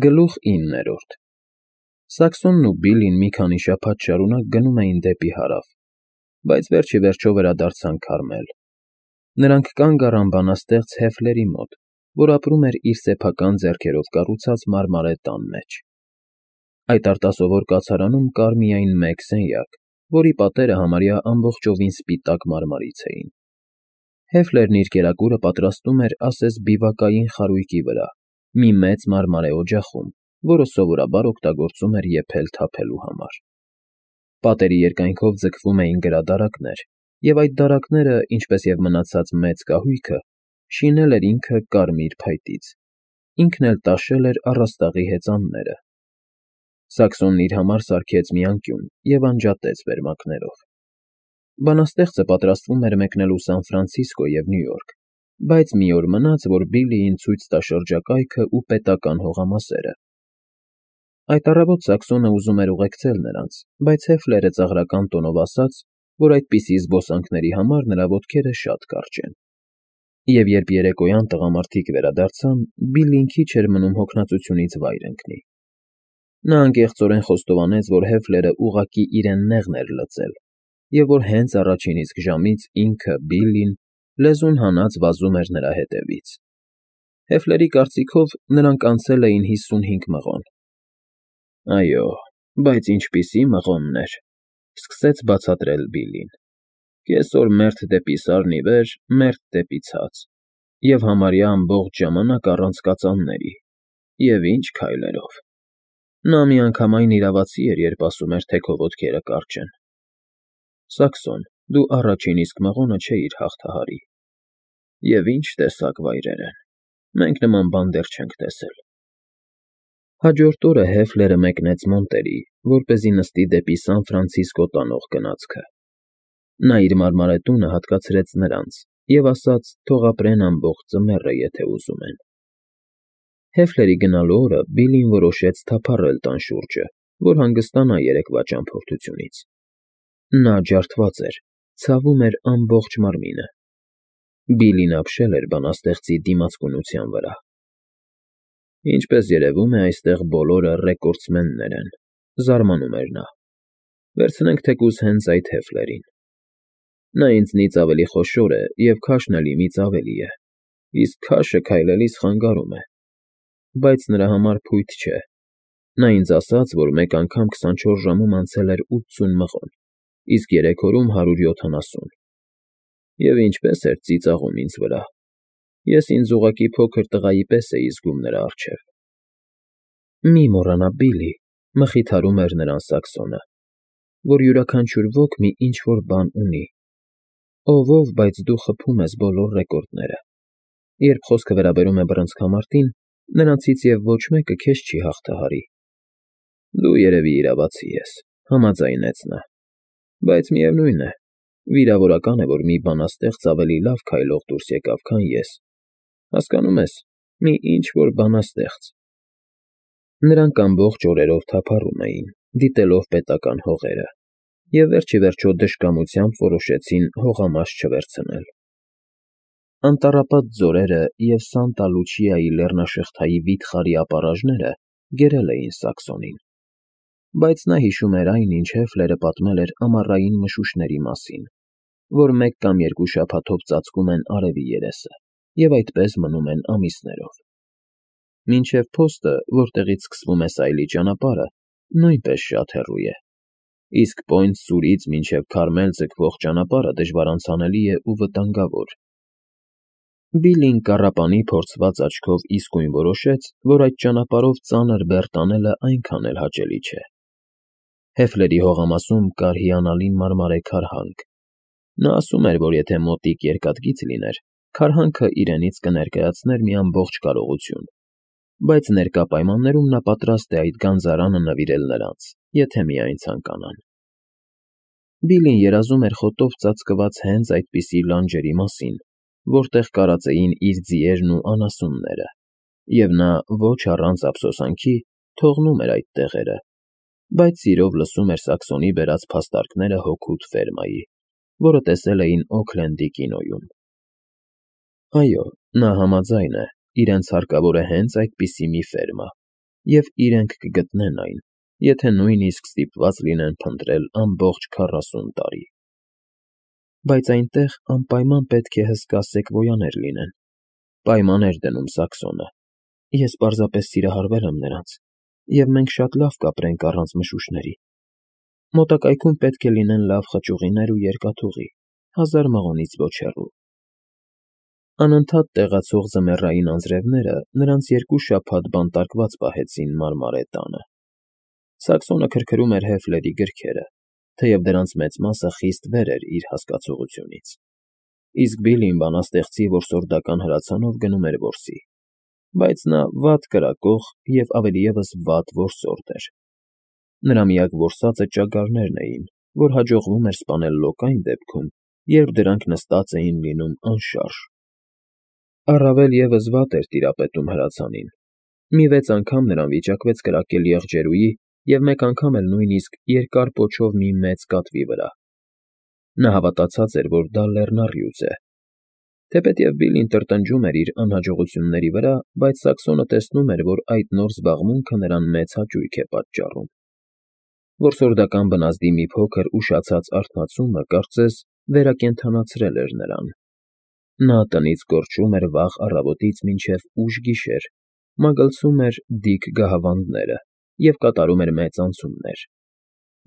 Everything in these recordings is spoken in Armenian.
Գլուխ 9 Սաքսոնն ու Բիլլին մի քանի շաբաթ շարունակ գնում էին դեպի հարավ, բայց վերջ ի վերջո վերադարձան Քարմել. նրանք կանգ առան բանաստեղծ Հեֆլերի մոտ, որ ապրում էր իր սեփական ձեռքերով կառուցած մարմարե տան մեջ։ Այդ արտասովոր կացարանում կար միայն մեկ սենյակ, որի պատերը համարյա ամբողջովին սպիտակ մարմարից էին։ Հեֆլերն իր կերակուրը պատրաստում էր ասես բիվակային խարույկի վրա, մի մեծ մարմարե օջախում, որը սովորաբար օգտագործում էր եփել թափելու համար։ Պատերի երկայնքով ձգվում էին գրադարակներ, և այդ դարակները, ինչպես և մնացած մեծ կահույքը, շինել էր ինքը կարմիր փայտից, ինքն էլ տաշել էր առաստաղի հեծանները։ Սաքսոնն իր համար սարքեց մի անկյուն և անջատեց վերմակներով։ Բանաստեղծը պատրաստվում էր մեկնելու Սան Ֆրանցիսկո և Նյու Յորք, բայց մի օր մնաց, որ Բիլլիին ցույց տա շրջակայքը ու պետական հողամասերը։ Այդ առավոտ Սաքսոնը ուզում էր ուղեկցել նրանց, բայց Հեֆլերը ծաղրական տոնով ասաց, որ այդպիսի զբոսանքների համար նրա ոտքերը շատ կարճ են։ Եվ երբ երեկոյան տղամարդիկ վերադարձան, Բիլլին քիչ էր մնում հոգնածությունից վայր ընկնի։ Նա անկեղծորեն խոստովանեց, որ Հեֆլերը ուղղակի իրեն նեղն էր լծել, և որ հենց առաջին իսկ ժամից ինքը՝ Բիլլին, լեզուն հանած վազում էր նրա հետևից։ Հեֆլերի կարծիքով նրանք անցել էին 55 մղոն։ Այո, բայց ինչպիսի մղոններ, սկսեց բացատրել Բիլլին։ Կեսօր մերթ դեպի Սարն ի վեր, մերթ դեպի ցած, և համարյա ամբողջ ժամանակ առանց կածանների, և ինչ քայլերով։ Նա միանգամայն իրավացի էր, երբ ասում էր, թե քո ոտքերը կարճ են։ Սաքսոն, դու առաջին իսկ մղոնը չէիր հաղթահարի։ Եվ ինչ տեսակ վայրեր են, մենք նման բան դեռ չենք տեսել։ Հաջորդ օրը Հեֆլերը մեկնեց Մոնտերի, որպեսզի նստի դեպի Սան Ֆրանցիսկո տանող գնացքը։ Նա իր մարմարե տունը հատկացրեց նրանց և ասաց, թող ապրեն ամբողջ ձմեռը, եթե ուզում են։ Հեֆլերի գնալու օրը Բիլլին որոշեց թափառել տան շուրջը, որ հանգստանա երեկվա ճամփորդությունից։ Նա ջարդված էր, ցավում էր ամբողջ մարմինը։ Բիլլին ապշել էր բանաստեղծի դիմացկունության վրա։ Ինչպես երևում է, այստեղ բոլորը ռեկորդսմեններ են, զարմանում էր նա։ Վերցնենք թեկուզ հենց այդ Հեֆլերին։ Նա ինձնից ավելի խոշոր է և քաշն էլ իմից ավելի է, իսկ քաշը քայլելիս խանգարում է, բայց նրա համար փույթ չէ։ Նա ինձ ասաց, որ մեկ անգամ 24 ժամում անցել էր 80 մղոն, իսկ 3 օրում 170։ Եվ ինչպես էր ծիծաղում ինձ վրա։ Ես ինձ ուղղակի փոքր տղայի պես էի զգում նրա առջև։ Մի մոռանա, Բիլլի, մխիթարում էր նրան Սաքսոնը, որ յուրաքանչյուր ոք մի ինչ֊որ բան ունի։ Ով, բայց դու խփում ես բոլոր ռեկորդները։ Երբ խոսքը վերաբերում է բռնցքամարտին, նրանցից և ոչ մեկը քեզ չի հաղթահարի։ Դու երևի իրավացի ես, համաձայնեց նա, բայց միևնույն է, վիրավորական է, որ մի բանաստեղծ ավելի լավ քայլող դուրս եկավ, քան ես։ Հասկանում ես, մի ինչ֊որ բանաստեղծ։ Նրանք ամբողջ օրերով թափառում էին, դիտելով պետական հողերը, և վերջ ի վերջո դժկամությամբ որոշեցին հողամաս չվերցնել։ Անտառապատ ձորերը և Սանտա Լուչիայի լեռնաշղթայի վիթխարի ապառաժները գերել էին Սաքսոնին, բայց նա հիշում էր այն, ինչ Հեֆլերը պատմել էր ամառային մշուշների մասին, որ մեկ կամ երկու շաբաթով ծածկում են արևի երեսը և այդպես մնում են ամիսներով։ Մինչև փոստը, որտեղից սկսվում է Սայլի ճանապարհը, նույնպես շատ հեռու է, իսկ Պոինտ Սուրից մինչև Քարմել ձգվող ճանապարհը դժվարանցանելի է ու վտանգավոր։ Բիլլին կառապանի փորձված աչքով իսկույն որոշեց, որ այդ ճանապարհով ծանր բեռ տանելը այնքան էլ հաճելի չէ։ Հեֆլերի հողամասում կար հիանալի մարմարե քարհանք։ Նա ասում էր, որ եթե մոտիկ երկաթգիծ լիներ, քարհանքը իրենից կներկայացներ մի ամբողջ կարողություն, բայց ներկա պայմաններում նա պատրաստ է այդ գանձարանը նվիրել նրանց, եթե միայն ցանկանան։ Բիլլին երազում էր խոտով ծածկված հենց այդպիսի լանջերի մասին, որտեղ կարածեին իր ձիերն ու անասունները, և նա ոչ առանց ափսոսանքի թողնում էր այդ տեղերը, բայց սիրով լսում էր Սաքսոնի բերած փաստարկները հօգուտ ֆերմայի, որը տեսել էին Օքլենդի կինոյում։ Այո, նա համաձայն է, իրենց հարկավոր է հենց այդպիսի մի ֆերմա, և իրենք կգտնեն այն, եթե նույնիսկ ստիպված լինեն փնտրել ամբողջ 40 տարի։ Բայց այնտեղ անպայման պետք է հսկա սեկվոյաներ լինեն, պայման էր դնում Սաքսոնը։ Ես պարզապես սիրահարվել եմ նրանց, և մենք շատ լավ կապրենք առանց մշուշների։ Մոտակայքում պետք է լինեն լավ խճուղիներ ու երկաթուղի, 1000 մղոնից ոչ հեռու։ Անընդհատ տեղացող ձմեռային անձրևները նրանց 2 շաբաթ բանտարկված պահեցին մարմարե տանը։ Սաքսոնը քրքրում էր Հեֆլերի գրքերը, թեև դրանց մեծ մասը խիստ վեր էր իր հասկացությունից։ Իսկ Բիլին բանաստեղծի որսորդական հրացանով գնում էր որսի, բայց նա վատ կրակող և ավելիևս վատ որսորդ էր։ Նրա միակ որսածը ճագարներն էին, որ հաջողվում էր սպանել լոկ այն դեպքում, երբ դրանք նստած էին լինում անշարժ։ Առավել ևս վատ էր տիրապետում հրացանին։ Մի 6 անգամ նրան վիճակվեց կրակել եղջերուի և մեկ անգամ էլ նույնիսկ երկար պոչով մի մեծ կատվի վրա։ Նա հավատացած էր, որ դա լեռնառյուծ է։ Թեպետև Բիլին տրտնջում էր իր անհաջողությունների վրա, բայց Սաքսոնը տեսնում էր, որ այդ նոր զբաղմունքը նրան մեծ հաճույք է պատճառում։ Որսորդական բնազդի մի փոքր ուշացած արթնացումը, կարծես, վերակենդանացրել էր նրան։ Նա տնից կորչում էր վաղ առավոտից մինչև ուշ գիշեր, մագլցում էր դիք գահավանդները և կատարում էր մեծ անցումներ։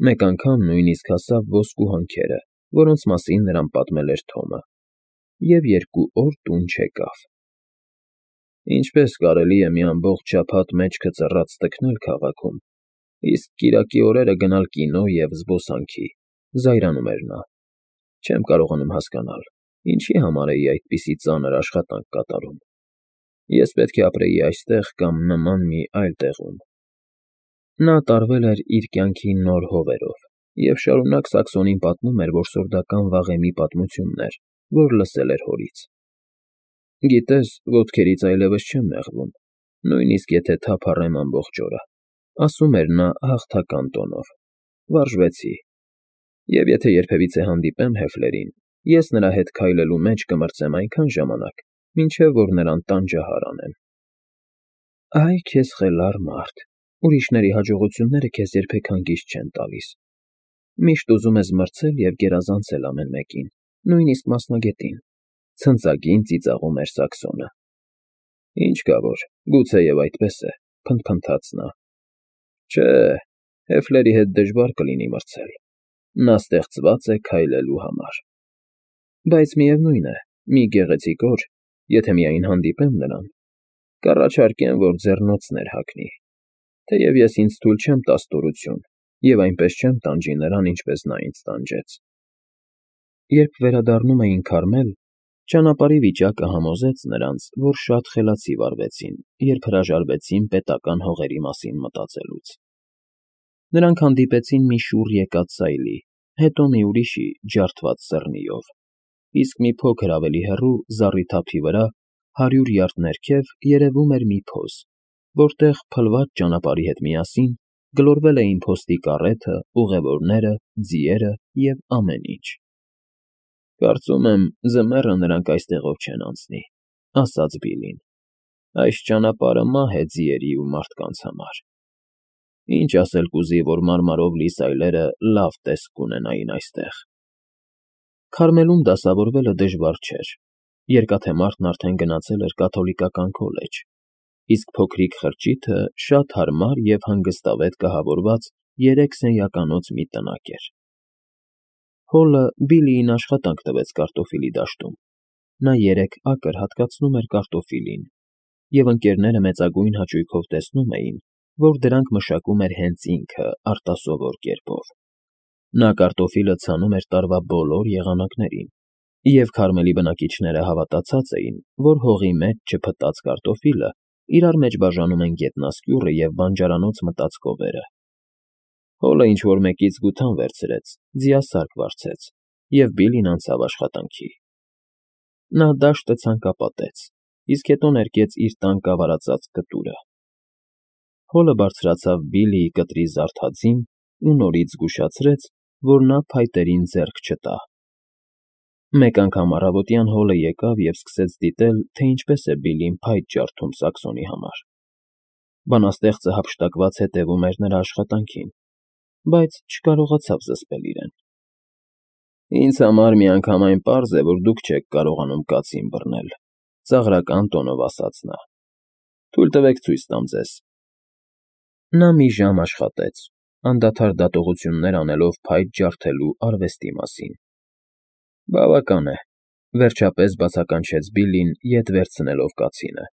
Մեկ անգամ նույնիսկ հասավ ոսկու հանքերը, որոնց մասին նրան պատմել էր Թոմը, և 2 օր տուն չեկավ։ Ինչպես կարելի է մի ամբողջ շաբաթ մեջքը ծռած թքնել քաղաքում, իսկ կիրակի օրերը գնալ կինո և զբոսանքի, զայրանում էր նա։ Չեմ կարողանում հասկանալ, ինչի համար էի այդպիսի ծանր աշխատանք կատարում։ Ես պետք է ապրեի այստեղ կամ նման մի այլ տեղում։ Նա տարվել էր իր կյանքի նոր հովերով և շարունակ Սաքսոնին պատմում էր որսորդական վաղեմի պատմություններ, որ լսել էր հորից։ Գիտես, ոտքերից այլևս չեմ նեղվում, նույնիսկ եթե թափ առեմ ամբողջ օրը, ասում էր նա հաղթական տոնով։ Վարժվեցի։ Եվ եթե երբևիցե հանդիպեմ Հեֆլերին, ես նրա հետ քայլելու մեջ կմրցեմ այնքան ժամանակ, մինչև որ նրան տանջահար անեմ։ Այ քեզ խելառ մարդ, ուրիշների հաջողությունները քեզ երբեք հանգիստ չեն տալիս։ Միշտ ուզում ես մրցել և գերազանցել ամեն մեկին, նույնիսկ մասնագետին, ցնծագին ծիծաղում էր Սաքսոնը։ Ինչ կա որ, գուցեև այդպես է, փնթփնթաց նա։ Չէ, Հեֆլերի հետ դժվար կլինի մրցել։ Նա ստեղծված է քայլելու համար։ Բայց միևնույն է, մի գեղեցիկ օր, եթե միայն հանդիպեմ նրան, կառաջարկեմ, որ ձեռնոցներ հագնի, թեև ես ինձ թույլ չեմ տա ստորություն և այնպես չեմ տանջի նրան, ինչպես նա ինձ տանջեց։ Երբ վերադառնում էին Քարմել, ճանապարհի վիճակը համոզեց նրանց, որ շատ խելացի վարվեցին, երբ հրաժարվեցին պետական հողերի մասին մտածելուց։ Նրանք հանդիպեցին մի շուռ եկած սայլի, հետո մի ուրիշի ջարդված սեռնիով, իսկ մի փոքր ավելի հեռու, զառիթափի վրա, 100 յարդ ներքև երևում էր մի փոս, որտեղ փլված ճանապարհի հետ միասին գլորվել էին փոստի կառեթը, ուղևորները, ձիերը և ամեն ինչ։ Կարծում եմ, ձմեռը նրանք այստեղով չեն անցնի, ասաց Բիլին։ Այս ճանապարհը մահ է ձիերի ու մարդկանց համար։ Ինչ ասել կուզի, որ մարմարով լի սայլերը լավ տեսք կունենային այստեղ։ Քարմելում դասավորվելը դժվար չէր։ Երկաթե մարդն արդեն գնացել էր կաթոլիկական քոլեջ, իսկ փոքրիկ խրճիթը շատ հարմար և հանգստավետ կահավորված 3 սենյականոց մի տնակ էր։ Հոլը Բիլիին աշխատանք տվեց կարտոֆիլի դաշտում։ Նա 3 ակր հատկացնում էր կարտոֆիլին, և ընկերները մեծագույն հաճույքով տեսնում էին, որ դրանք մշակում էր հենց ինքը արտասովոր կերպով։ Նա կարտոֆիլը ցանում էր տարվա բոլոր եղանակներին, և Քարմելի բնակիչները հավատացած էին, որ հողի մեջ չփտած կարտոֆիլը իրար մեջ բաժանում են գետնասկյուռը և բանջարանոց մտած կովերը։ Հոլը ինչ֊որ մեկից գութան վերցրեց, ձիասարք վարձեց, և Բիլին անցավ աշխատանքի։ Նա դաշտը ցանկապատեց, իսկ հետո ներկեց իր տան կավարածած կտուրը։ Հոլը բարձրացավ Բիլիի կտրի զարդածին ու նորից զգուշացրեց, որ նա փայտերին ձեռք չտա։ Մեկ անգամ առավոտյան Հոլը եկավ և սկսեց դիտել, թե ինչպես է Բիլին փայտ ջարդում Սաքսոնի համար։ Բանաստեղծը հափշտակված հետևում էր նրա աշխատանքին, բայց չկարողացավ զսպել իրեն։ Ինձ համար միանգամայն պարզ է, որ դուք չեք կարողանում կացին բռնել, ծաղրական տոնով ասաց նա։ Թույլ տվեք ցույց տամ ձեզ։ Նա մի ժամ աշխատեց, անդադար դատողություններ անելով փայտ ջարդելու արվեստի մասին։ Բավական է, վերջապես բացականչեց Բիլլին, ետ վերցնելով կացինը։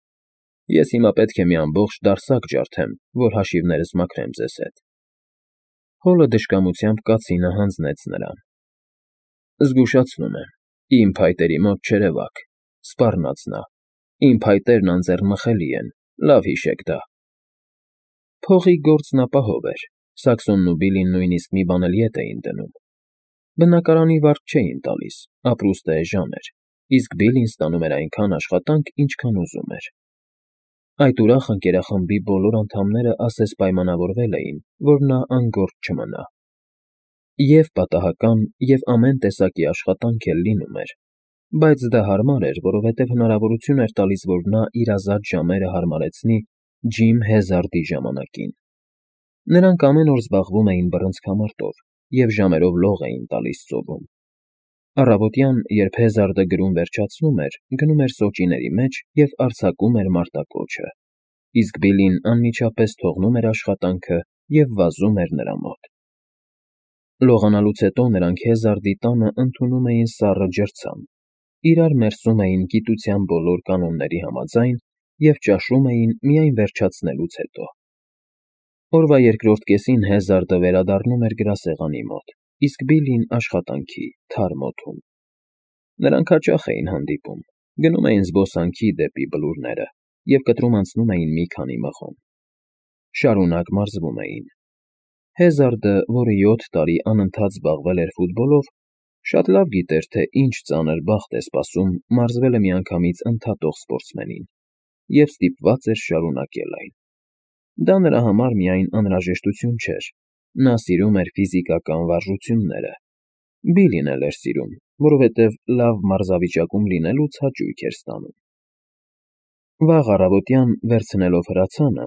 Ես հիմա պետք է մի ամբողջ դարսակ ջարդեմ, որ հաշիվներս մաքրեմ ձեզ հետ։ Հոլը դժկամությամբ կացինը հանձնեց նրան։ Զգուշացնում եմ, իմ փայտերի մոտ չերևաք, սպառնաց նա։ Իմ փայտերն անձեռնմխելի են, լավ հիշեք դա։ Փողի գործն ապահով էր, Սաքսոնն ու Բիլլին նույնիսկ մի բան էլ ետ էին դնում։ Բնակարանի վարկ չէին տալիս, ապրուստը էժան էր, իսկ Բիլլին ստանում էր այնքան աշխատանք, ինչքան ուզում էր։ Այդ ուրախ ընկերախմբի բոլոր անդամները ասես պայմանավորվել էին, որ նա անգործ չմնա։ Եվ պատահական, և ամեն տեսակի աշխատանք էլ լինում էր, բայց դա հարմար էր, որովհետև հնարավորություն էր տալիս, որ նա իր ազատ ժամերը հարմարեցնի Ջիմ Հեզարդի ժամանակին։ Նրանք ամեն օր զբաղվում էին բռնցքամարտով և ժամերով լող էին տալիս ծովում։ Առավոտյան, երբ Հեզարդը գրում վերջացնում էր, գնում էր սոճիների մեջ և արձակում էր մարտակոչը, իսկ Բիլլին անմիջապես թողնում էր աշխատանքը և վազում էր նրա մոտ։ Լողանալուց հետո նրանք Հեզարդի տանը ընդունում էին սառը ջրցան, իրար մերսում էին գիտության բոլոր կանոնների համաձայն և ճաշում էին միայն վերջացնելուց հետո։ Օրվա երկրորդ կեսին Հեզարդը վերադառնում էր գրասեղանի մոտ, իսկ Բիլլին աշխատանքի, թարմ օդում։ Նրանք հաճախ էին հանդիպում, գնում էին զբոսանքի դեպի բլուրները և կտրում անցնում էին մի քանի մղոն։ Շարունակ մարզվում էին։ Հեզարդը, որը 7 տարի անընդհատ զբաղվել էր ֆուտբոլով, շատ լավ գիտեր, թե ինչ ծանր բախտ է սպասում մարզվելը միանգամից ընդհատող սպորտսմենին, և ստիպված էր շարունակել այն։ Դա նրա համար միայն անհրաժեշտություն չէր, նա սիրում էր ֆիզիկական վարժությունները։ Բիլլին էլ էր սիրում, որովհետև լավ մարզավիճակում լինելուց հաճույք էր ստանում։ Վաղ առավոտյան, վերցնելով հրացանը,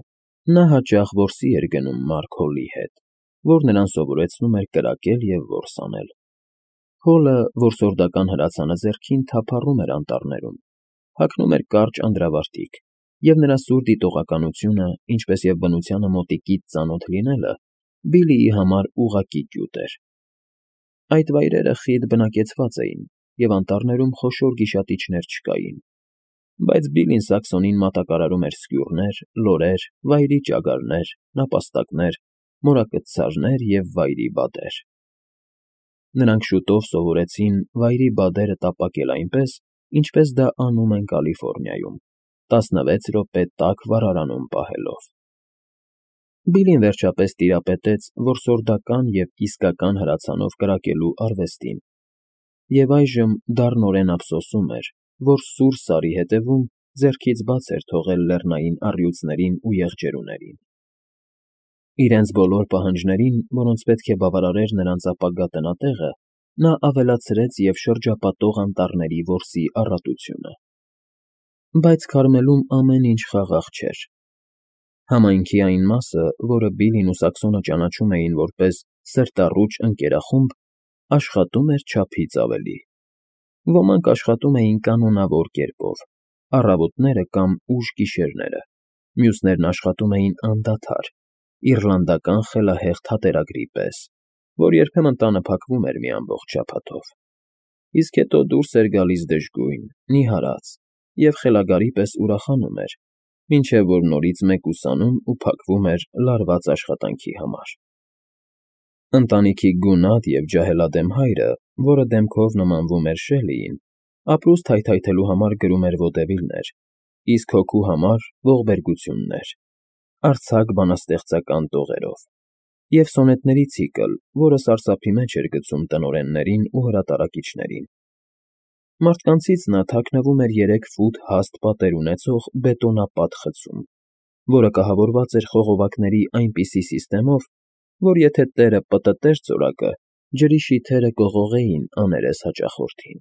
նա հաճախ որսի էր գնում Մարք Հոլի հետ, որ նրան սովորեցնում էր կրակել և որս անել։ Հոլը, որսորդական հրացանը ձեռքին, թափառում էր անտառներում, հագնում էր կարճ անդրավարտիք, և նրա սուր դիտողականությունը, ինչպես և բնությանը մոտիկից ծանոթ լինելը, Բիլլիի համար ուղղակի գյուտ էր։ Այդ վայրերը խիտ բնակեցված էին, և անտառներում խոշոր գիշատիչներ չկային, բայց Բիլլին Սաքսոնին մատակարարում էր սկյուռներ, լորեր, վայրի ճագարներ, նապաստակներ, մորակցարներ և վայրի բադեր։ Նրանք շուտով սովորեցին վայրի բադերը տապակել այնպես, ինչպես դա անում են Կալիֆոռնիայում, 16 րոպե տաք վառարանում պահելով։ Բիլլին վերջապես տիրապետեց որսորդական և իսկական հրացանով կրակելու արվեստին, և այժմ դառնորեն ափսոսում էր, որ սուր Սարի հետևում ձեռքից բաց էր թողել լեռնային առյուծներին ու եղջերուներին։ Իրենց բոլոր պահանջներին, որոնց պետք է բավարարեր նրանց ապագա տնատեղը, նա ավելացրեց և շրջապատող անտառների որսի առատությունը։ Բայց Քարմելում ամեն ինչ խաղաղ չէր։ Համայնքի այն մասը, որը Բիլլին ու Սաքսոնը ճանաչում էին որպես սրտառուչ ընկերախումբ, աշխատում էր չափից ավելի։ Ոմանք աշխատում էին կանոնավոր կերպով, առավոտները կամ ուշ գիշերները, մյուսներն աշխատում էին անդադար, իռլանդական խելահեղ թատերագրի պես, որ երբեմն տանը փակվում էր մի ամբողջ շաբաթով, իսկ հետո դուրս էր գալիս դժգույն, նիհարած և խելագարի պես ուրախանում էր, մինչև որ նորից մեկուսանում ու փակվում էր լարված աշխատանքի համար։ Ընտանիքի գունատ և ջահելադեմ հայրը, որը դեմքով նմանվում էր Շելլիին, ապրուստ հայթայթելու համար գրում էր վոդևիլներ, իսկ հոգու համար՝ ողբերգություններ, արձակ բանաստեղծական տողերով, և սոնետների ցիկլ, որը սարսափի մեջ էր գցում տնօրեններին ու հրատարակիչներին։ Մարդկանցից նա թաքնվում էր 3 ֆուտ հաստ պատեր ունեցող բետոնապատ խցում, որը կահավորված էր խողովակների այնպիսի սիստեմով, որ եթե տերը պտտեր ծորակը, ջրի շիթերը կողողեին աներես հաճախորդին։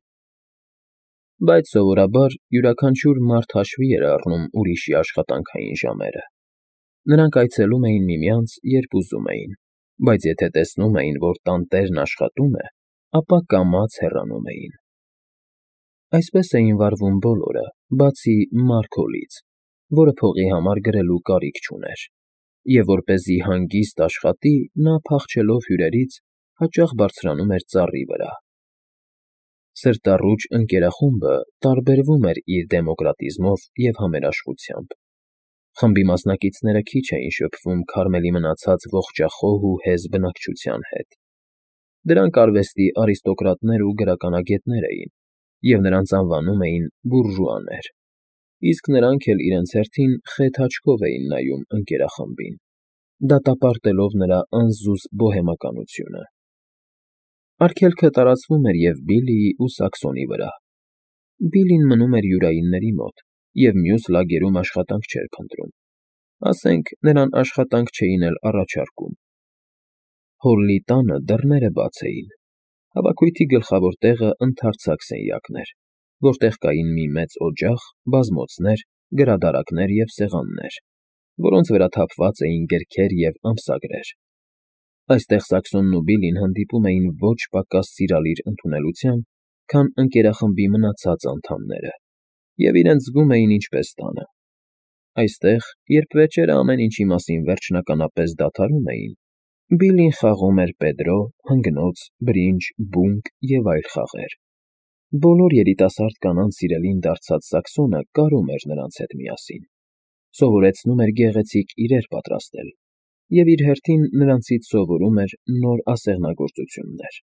Բայց սովորաբար յուրաքանչյուր մարդ հաշվի էր առնում ուրիշի աշխատանքային ժամերը։ Նրանք այցելում էին միմյանց, երբ ուզում էին, բայց եթե տեսնում էին, որ տանտերն աշխատում է, ապա կամաց հեռանում էին։ Այսպես էին վարվում բոլորը, բացի Մարգոլից, որը փողի համար գրելու կարիք չուներ, և որպեսզի հանգիստ աշխատի, նա, փախչելով հյուրերից, հաճախ բարձրանում էր ծառի վրա։ Սրտառուչ ընկերախումբը տարբերվում էր իր դեմոկրատիզմով և համերաշխությամբ։ Խմբի մասնակիցները քիչ էին շփվում Քարմելի մնացած ողջախոհ ու հեզ բնակչության հետ։ Դրանք արվեստի արիստոկրատներ ու գրականագետներ էին, և նրանց անվանում էին բուրժուաներ, իսկ նրանք էլ իրենց հերթին խեթ աչքով էին նայում ընկերախմբին, դատապարտելով նրա անզուսպ բոհեմականությունը։ Արգելքը տարածվում էր և Բիլլիի ու Սաքսոնի վրա։ Բիլլին մնում էր յուրայինների մոտ և մյուս լագերում աշխատանք չէր փնտրում, ասենք, նրան աշխատանք չէին էլ առաջարկում։ Հոլլի տանը դռները բաց էին, հավաքույթի գլխավոր տեղը ընդարձակ սենյակն էր, որտեղ կային մի մեծ օջախ, բազմոցներ, գրադարաններ և սեղաններ, որոնց վրա թափված էին գրքեր և ամսագրեր։ Այստեղ Սաքսոնն ու Բիլլին հանդիպում էին ոչ պակաս սիրալիր ընդունելությամբ, քան ընկերախմբի մնացած անդամները, և իրենց զգում էին ինչպես տանը։ Այստեղ, երբ վերջերը ամեն ինչի մասին վերջնականապես դադարում էին, Բիլլին խաղում էր Պեդրո, հանգնոց, բրինջ, բունկ և այլ խաղեր։ Բոլոր երիտասարդ կանանց սիրելին դարձած Սաքսոնը կարում էր նրանց հետ միասին, սովորեցնում էր գեղեցիկ իրեր պատրաստել և իր հերթին նրանցից սովորում էր նոր ասեղնագործություններ։